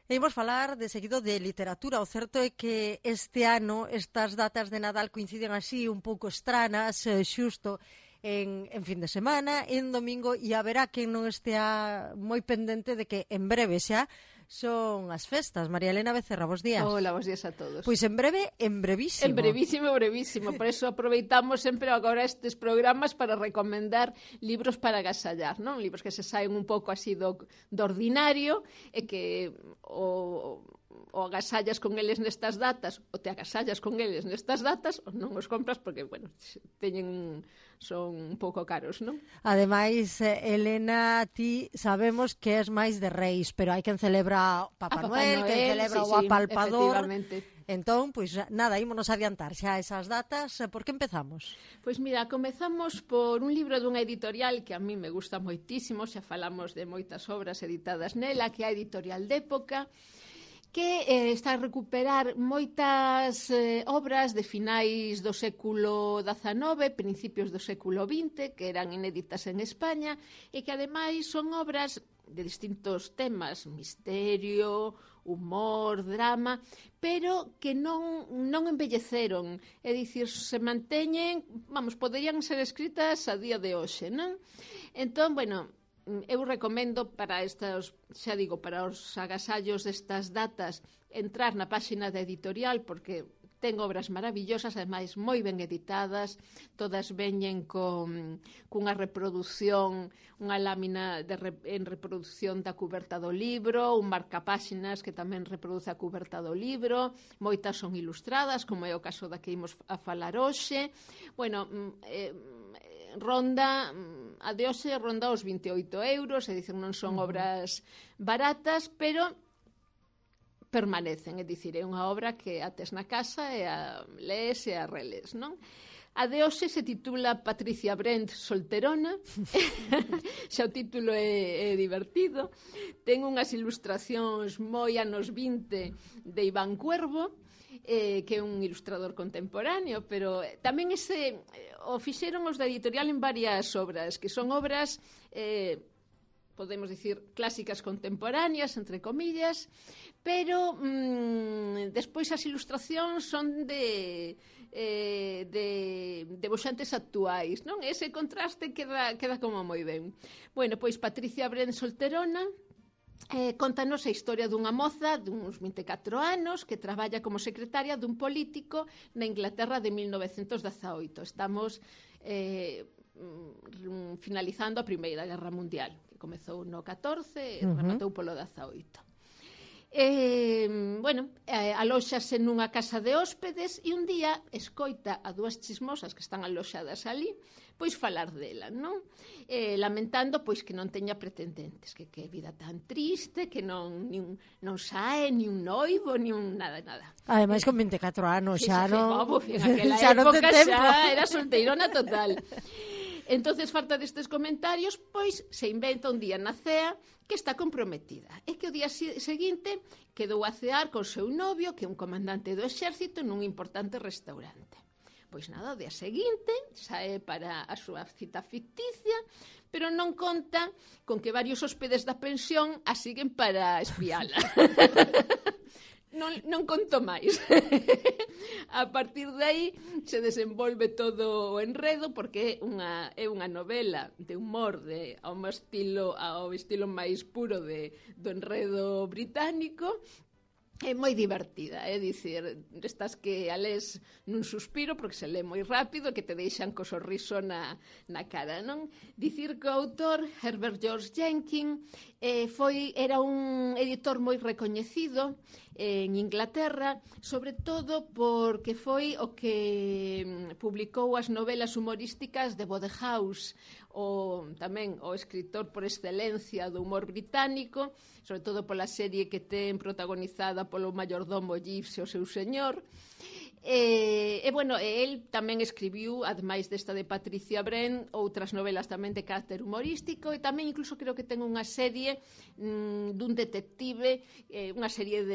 E imos falar de seguido de literatura. O certo é que este ano estas datas de Nadal coinciden así un pouco estranas, xusto en fin de semana, en domingo, e haberá quen non estea moi pendente de que en breve xa son as festas. María Elena Becerra, bos días. Hola, bos días a todos. Pois en breve, en brevísimo. En brevísimo, brevísimo. Por eso aproveitamos sempre agora estes programas para recomendar libros para agasallar, non? Libros que se saen un pouco así do ordinario e que o agasallas con eles nestas datas, ou te agasallas con eles nestas datas, ou non os compras porque, bueno, son un pouco caros, non? Ademais, Elena, ti sabemos que és máis de reis, pero hai quen celebra Papá Noel, quen celebra o apalpador. Entón, pois nada, ímonos adiantar xa esas datas. Por que empezamos? Pois mira, comezamos por un libro dunha editorial que a mí me gusta moitísimo, xa falamos de moitas obras editadas nela, que é a Editorial de Época, que está a recuperar moitas obras de finais do século XIX, principios do século XX, que eran inéditas en España, e que ademais son obras de distintos temas, misterio, humor, drama, pero que non envelleceron, é dicir, se manteñen, poderían ser escritas a día de hoxe, non? Entón, bueno, eu recomendo para estos, xa digo, para os agasallos destas datas, entrar na páxina da editorial, porque ten obras maravillosas, ademais moi ben editadas, todas veñen cunha reproducción, unha lámina en reproducción da cuberta do libro, un marcapáxinas que tamén reproduce a cuberta do libro, moitas son ilustradas, como é o caso da que imos a falar hoxe. Bueno, a de hoxe ronda os 28 euros, é dicir, non son obras baratas, pero permanecen, é dicir, é unha obra que a tes na casa e a lees e a reles, non? A de hoxe se titula Patricia Brent solterona, xa o título é divertido, ten unhas ilustracións moi anos 20 de Iván Cuervo, que é un ilustrador contemporáneo, pero tamén o fixeron os da editorial en varias obras, que son obras, podemos dicir, clásicas contemporáneas, entre comillas, pero despois as ilustracións son de debuxantes actuais, non? Ese contraste queda como moi ben. Bueno, pois Patricia Brent solterona contanos a historia dunha moza duns 24 anos que traballa como secretaria dun político na Inglaterra de 1918. Estamos finalizando a Primeira Guerra Mundial, que comezou no 14 e rematou polo 18. Alóxase nunha casa de hóspedes e un día escoita a dúas chismosas que están aloxadas ali pois falar dela, non? Lamentando pois que non teña pretendentes, que vida tan triste, que non sae ni un noivo, ni un nada. Ademais con 24 anos xa non... En aquela época xa era solteirona total. Entonces, falta destes comentarios, pois se inventa un día na cea que está comprometida. É que o día seguinte quedou a cear con seu novio, que é un comandante do exército, nun importante restaurante. Pois nada, o día seguinte sae para a súa cita ficticia, pero non conta con que varios hóspedes da pensión a siguen para espiala. Non conto máis. A partir de aí se desenvolve todo o enredo, porque é unha novela de humor ao estilo máis puro do enredo británico. É moi divertida, é dicir, estas que a les nun suspiro porque se lê moi rápido, que te deixan co sorriso na cara, non? Dicir que o autor, Herbert George Jenkins, era un editor moi recoñecido en Inglaterra, sobre todo porque foi o que publicou as novelas humorísticas de Wodehouse, tamén o escritor por excelencia do humor británico, sobre todo pola serie que ten protagonizada polo mayordomo Jeeves e o seu señor. El tamén escribiu, ademais desta de Patricia Brent, outras novelas tamén de carácter humorístico, e tamén incluso creo que ten unha serie dun detective, unha serie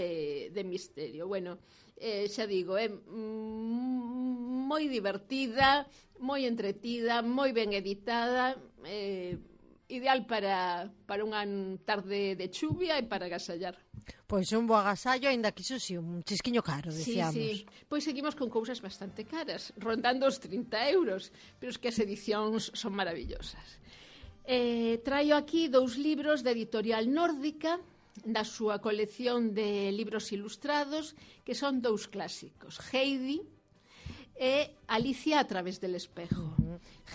de misterio. Bueno, xa digo, é moi divertida, moi entretida, moi ben editada, ideal para unha tarde de chuvia e para agasallar. Pois un bo agasallo, aínda que iso si, un chisquiño caro, decíamos. Sí. Pois seguimos con cousas bastante caras, rondando os 30 euros, pero es que as edicións son maravillosas. Traio aquí 2 libros de editorial nórdica, da súa colección de libros ilustrados, que son 2 clásicos, Heidi e Alicia a través del espejo.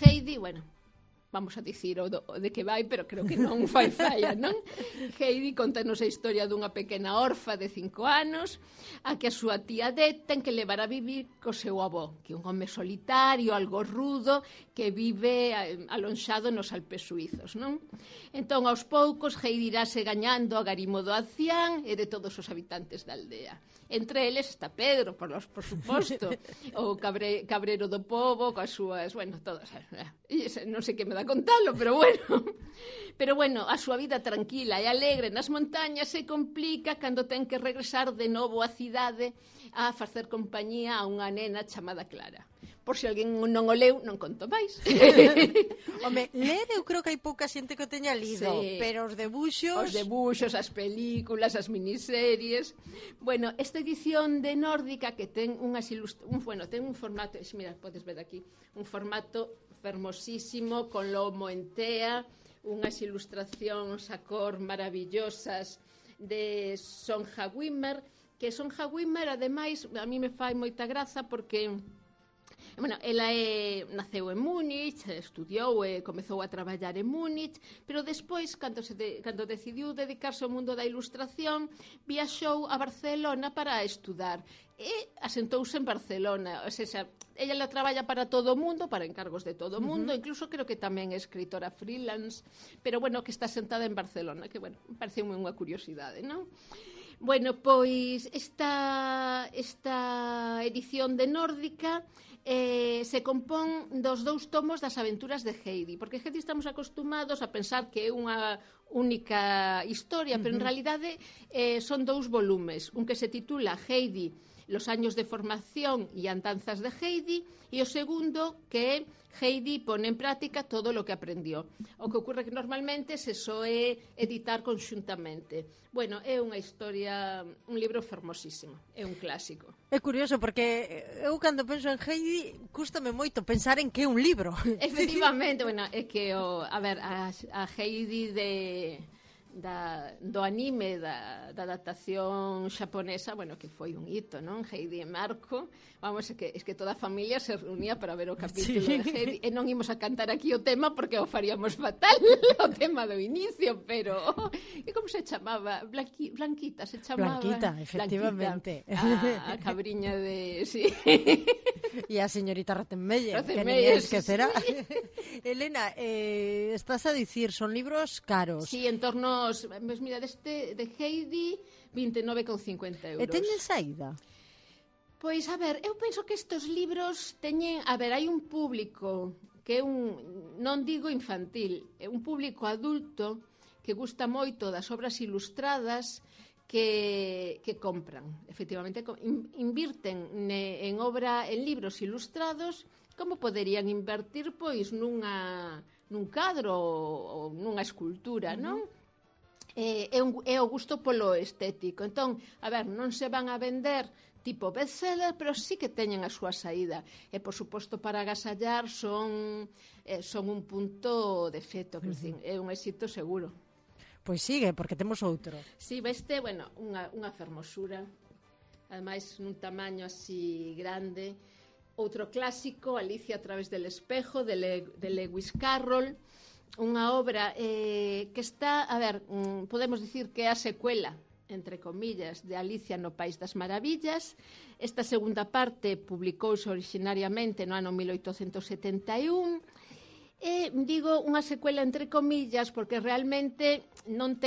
Heidi, bueno, vamos a dicir o de que vai, pero creo que non fai falla, non? Heidi contanos a historia dunha pequena orfa de 5 anos a que a súa tía Det ten que levar a vivir co seu avó, que é un home solitario, algo rudo, que vive alonxado nos Alpes suizos, non? Entón, aos poucos, Heidi irase gañando a garimo do ancián e de todos os habitantes da aldea. Entre eles está Pedro, por suposto, o cabrero do pobo, coas súas, bueno, todas, non sei que me dá contalo, pero bueno, a súa vida tranquila e alegre nas montañas se complica cando ten que regresar de novo á cidade a facer compañía a unha nena chamada Clara. Por se alguén non o leu, non conto máis. Home, ler eu creo que hai pouca xente que o teña lido, sí. Pero os debuxos, as películas, as miniseries. Bueno, esta edición de Nórdica que ten ten un formato, mira, podes ver aquí, un formato fermosísimo, con lomo en tea, unhas ilustracións a cor maravillosas de Sonja Wimmer, que Sonja Wimmer, ademais, a mí me fai moita graza porque... Bueno, ela naceu en Múnich, estudiou e comezou a traballar en Múnich, pero despois, cando decidiu dedicarse ao mundo da ilustración, viaxou a Barcelona para estudar e asentouse en Barcelona. O sea, ella traballa para todo o mundo, para encargos de todo o mundo, incluso creo que tamén é escritora freelance, pero bueno, que está sentada en Barcelona, que bueno, parece unha curiosidade, non? Bueno, pois esta edición de Nórdica se compón dos 2 tomos das aventuras de Heidi, porque Heidi estamos acostumados a pensar que é unha única historia, pero en realidade son 2 volumes, un que se titula Heidi, los años de formación e andanzas de Heidi, e o segundo que é Heidi pone en práctica todo o que aprendió. O que ocurre que normalmente se soe editar conxuntamente. Bueno, é unha historia, un libro fermosísimo, é un clásico. É curioso porque eu cando penso en Heidi cústame moito pensar en que é un libro. Efectivamente, bueno, é que a Heidi do anime da adaptación xaponesa, bueno, que foi un hito, non? Heidi e Marco, vamos, es que toda a familia se reunía para ver o capítulo de Heidi, e non imos a cantar aquí o tema porque o faríamos fatal, o tema do inicio, pero e como se chamaba? Blanquita se chamaba. Blanquita, efectivamente. A cabriña de... Sí. E a señorita Rottenmeier, que ninguén esquecerá. Elena, estás a dicir, son libros caros. Sí, en torno, mira, de Heidi, 29,50 euros. E teñen saída? Pois, a ver, eu penso que estes libros teñen... A ver, hai un público que é non digo infantil, é un público adulto que gusta moito das obras ilustradas que compran. Efectivamente, invirten en libros ilustrados como poderían invertir pois nun cadro ou nunha escultura, non? É o gusto polo estético. Entón, a ver, non se van a vender tipo bestseller, pero sí que teñen a súa saída. E, por suposto, para agasallar son un punto de feto, que é un éxito seguro. Pois sigue, porque temos outro. Sí, bueno, unha fermosura, ademais nun tamaño así grande. Outro clásico, Alicia a través del espejo, de Lewis Carroll, unha obra que está, a ver, podemos dicir que é a secuela, entre comillas, de Alicia no País das Maravillas. Esta segunda parte publicouse originariamente no ano 1871, e digo unha secuela entre comillas porque realmente non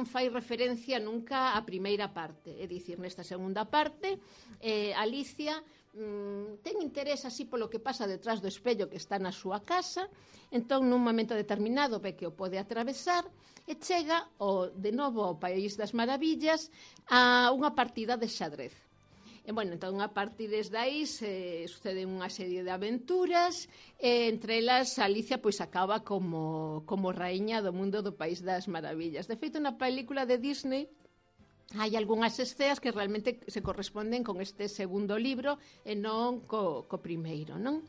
fai referencia nunca á primeira parte. É dicir, nesta segunda parte, Alicia ten interés así polo que pasa detrás do espello que está na súa casa, entón nun momento determinado ve que o pode atravesar e chega de novo ao País das Maravillas a unha partida de xadrez. E, bueno, entón, a partir desde aí suceden unha serie de aventuras, e entre elas Alicia pois acaba como raíña do mundo do País das Maravillas. De feito, na película de Disney hai algunhas escenas que realmente se corresponden con este segundo libro e non co primeiro, non?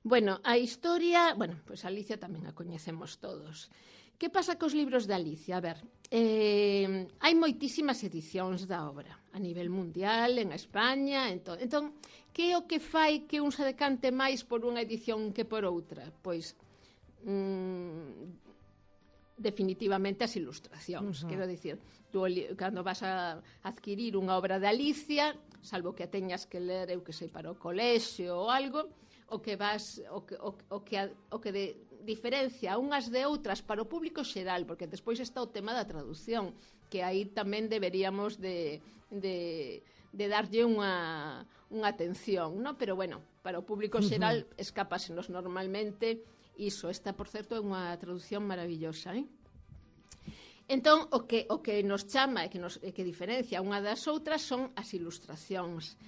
Bueno, a historia, pois Alicia tamén a coñecemos todos. Que pasa cos libros de Alicia? A ver, hai moitísimas edicións da obra a nivel mundial, en España, entón, que é o que fai que un se decante máis por unha edición que por outra? Pois definitivamente as ilustracións. Quero dicir, tú cando vas a adquirir unha obra de Alicia, salvo que a teñas que ler, eu que sei, para o colexio ou algo, o que diferencia unhas de outras para o público xeral, porque despois está o tema da traducción, que aí tamén deberíamos de darlle unha atención, ¿no? Pero bueno, para o público xeral escápasenos normalmente iso. Esta, por certo, é unha traducción maravillosa, Entón, o que nos chama e que diferencia unha das outras son as ilustracións.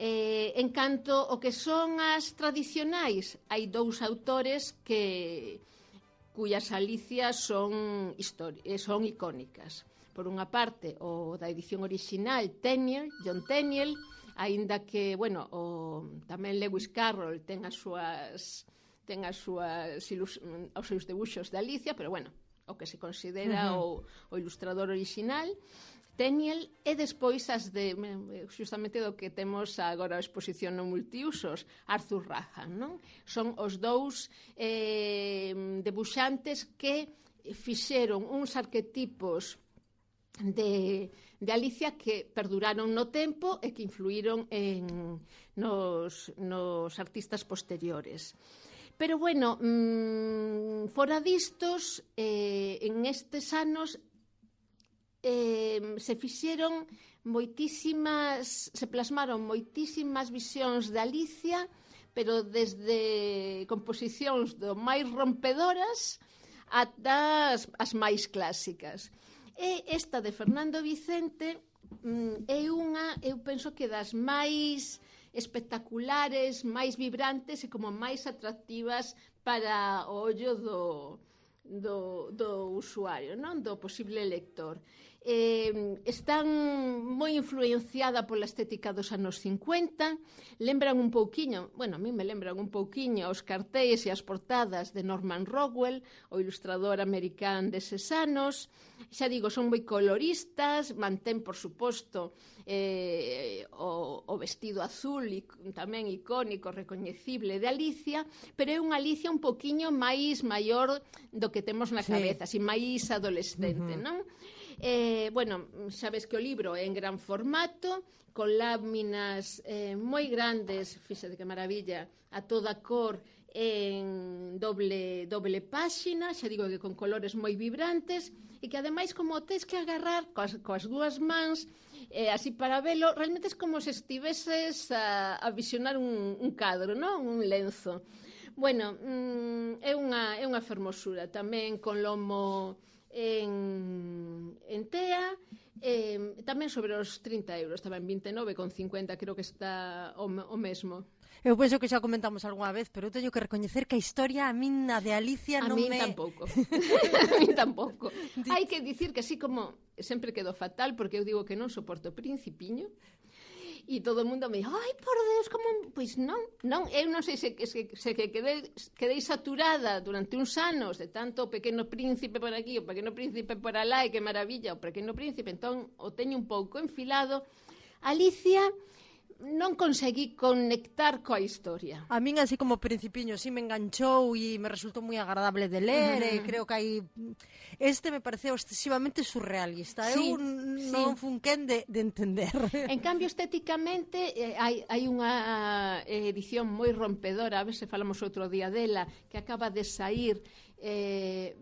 En canto o que son as tradicionais, hai dous autores cuyas Alicias son icónicas. Por unha parte, o da edición original, John Tenniel, aínda que, tamén Lewis Carroll ten os seus debuxos de Alicia, pero o que se considera o ilustrador original, Tenniel, e despois as de justamente do que temos agora a exposición no multiusos, Arthur Rahan, non? Son os dous debuxantes que fixeron uns arquetipos de Alicia que perduraron no tempo e que influíron nos artistas posteriores. Pero, fora distos, en estes anos se plasmaron moitísimas visións de Alicia, pero desde composicións do máis rompedoras ata as máis clásicas. E esta de Fernando Vicente é unha, eu penso que das máis espectaculares, máis vibrantes e como máis atractivas para o ollo do usuario, non? Do posible lector. Están moi influenciada pola estética dos anos 50, lembran un pouquiño, a mí me lembran un pouquiño os cartéis e as portadas de Norman Rockwell, o ilustrador americán deses anos. Xa digo, son moi coloristas, mantén, por suposto, o vestido azul tamén icónico, recoñecible de Alicia, pero é unha Alicia un poquiño máis maior do que temos na cabeza, así máis adolescente, non? Sabes que o libro é en gran formato, con láminas moi grandes, fíxate que maravilla, a toda cor, en doble páxina, xa digo que con colores moi vibrantes, e que ademais como tes que agarrar coas dúas mans, así para velo, realmente é como se estiveses a visionar un cadro, non? Un lenzo. É unha fermosura, tamén con lomo en tea, tamén sobre os 30 euros, tamén 29,50, creo que está o mesmo. Eu penso que xa comentamos algunha vez, pero eu teño que recoñecer que a historia a min a de Alicia non me... A min tampouco. Hai que dicir que así como sempre quedo fatal, porque eu digo que non soporto Principiño, e todo o mundo me dice, ai, por Deus, como... Pois non, eu non sei se quedei saturada durante uns anos de tanto o Pequeno Príncipe por aquí, o Pequeno Príncipe por alá, e que maravilla o Pequeno Príncipe, entón o teño un pouco enfilado. Alicia non conseguí conectar coa historia. A min, así como Principiño, sí me enganchou e me resultou moi agradable de ler, e creo que hai... Este me pareceu excesivamente surrealista. Eu non fun quen de entender. En cambio, estéticamente, hai unha edición moi rompedora, a ver se falamos outro día dela, que acaba de saír de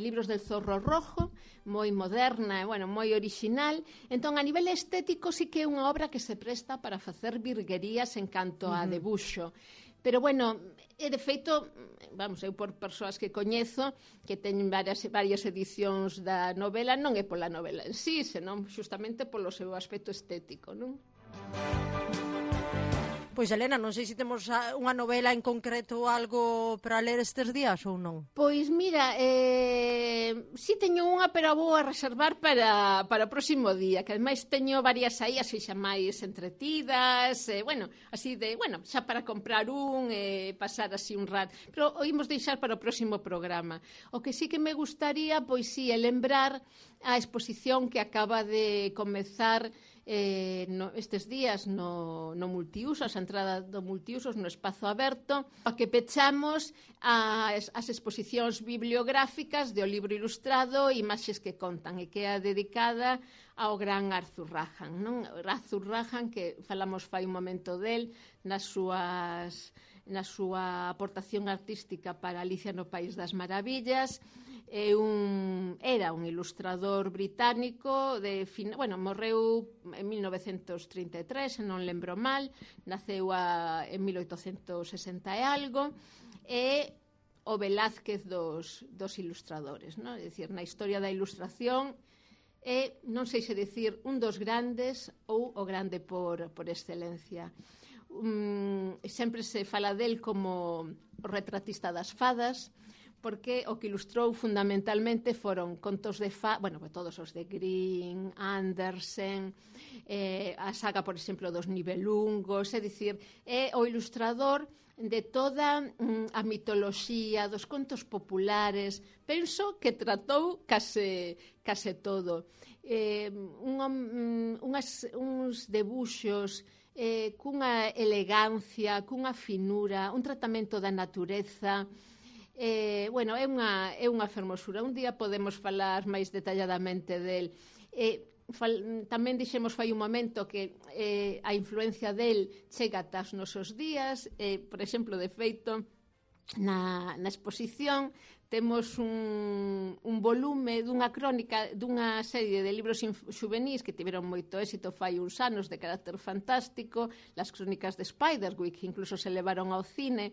Libros del Zorro Rojo, moi moderna e moi original. Entón, a nivel estético sí que é unha obra que se presta para facer virguerías en canto a debuxo. Pero, de feito, eu por persoas que coñezo, que teñen varias edicións da novela, non é pola novela en sí, senón justamente polo seu aspecto estético, non? Pois, Elena, non sei se temos unha novela en concreto ou algo para ler estes días ou non. Pois, mira, Si teño unha, pero vou a reservar para o próximo día, que ademais teño varias aí, así xa máis entretidas, bueno, así de, bueno, xa para comprar pasar así un rato, pero o imos deixar para o próximo programa. O que sí que me gustaría, pois sí, é lembrar a exposición que acaba de comezar estes días no multiusos, a entrada do multiusos no espazo aberto, a que pechamos as exposicións bibliográficas do libro ilustrado Imaxes que contan, e que é dedicada ao gran Arthur Rahan, non? Arthur Rahan, que falamos fai un momento del na súa aportación artística para Alicia no País das Maravillas. Era un ilustrador británico morreu en 1933, se non lembro mal, naceu en 1860 e algo, e o Velázquez dos ilustradores, non? É dicir, na historia da ilustración non sei se dicir un dos grandes ou o grande por excelencia. Sempre se fala del como o retratista das fadas, porque o que ilustrou fundamentalmente foron contos de todos os de Grimm, Andersen, a saga, por exemplo, dos Nibelungos, é dicir, é o ilustrador de toda a mitoloxía, dos contos populares. Penso que tratou case todo. Uns debuxos cunha elegancia, cunha finura, un tratamento da natureza. É unha fermosura. Un día podemos falar máis detalladamente del. Tamén dixemos fai un momento que a influencia del chega ata os nosos días. Por exemplo, de feito, na exposición temos un volume dunha crónica dunha serie de libros xuvenís que tiveron moito éxito fai uns anos, de carácter fantástico, las crónicas de Spiderwick, que incluso se levaron ao cine,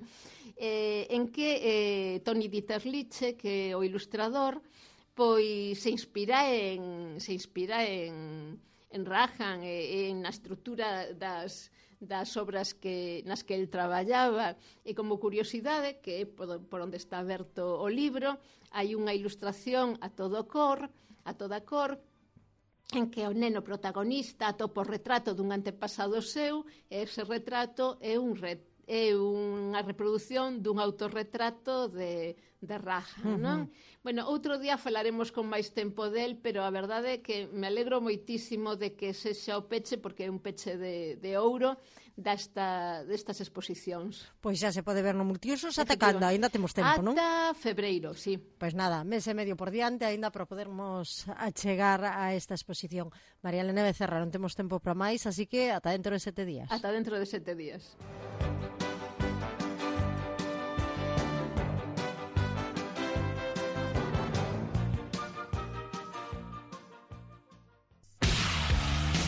en que Tony Dieterliche, que é o ilustrador, pois se inspira en Rahan, na estrutura das obras nas que el traballaba. E como curiosidade, que é por onde está aberto o libro, hai unha ilustración a toda cor, en que o neno protagonista atopa o retrato dun antepasado seu, e ese retrato é unha reproducción dun autorretrato de Rahan, non? Bueno, outro día falaremos con máis tempo del, pero a verdade é que me alegro moitísimo de que sexa o peche, porque é un peche de ouro destas exposicións. Pois xa se pode ver no multiusos ata canda, ainda temos tempo, non? Ata febreiro, sí. Pois nada, mes e medio por diante ainda para podermos achegar a esta exposición. María Elena Becerra, non temos tempo para máis, así que ata dentro de 7 días. Ata dentro de 7 días.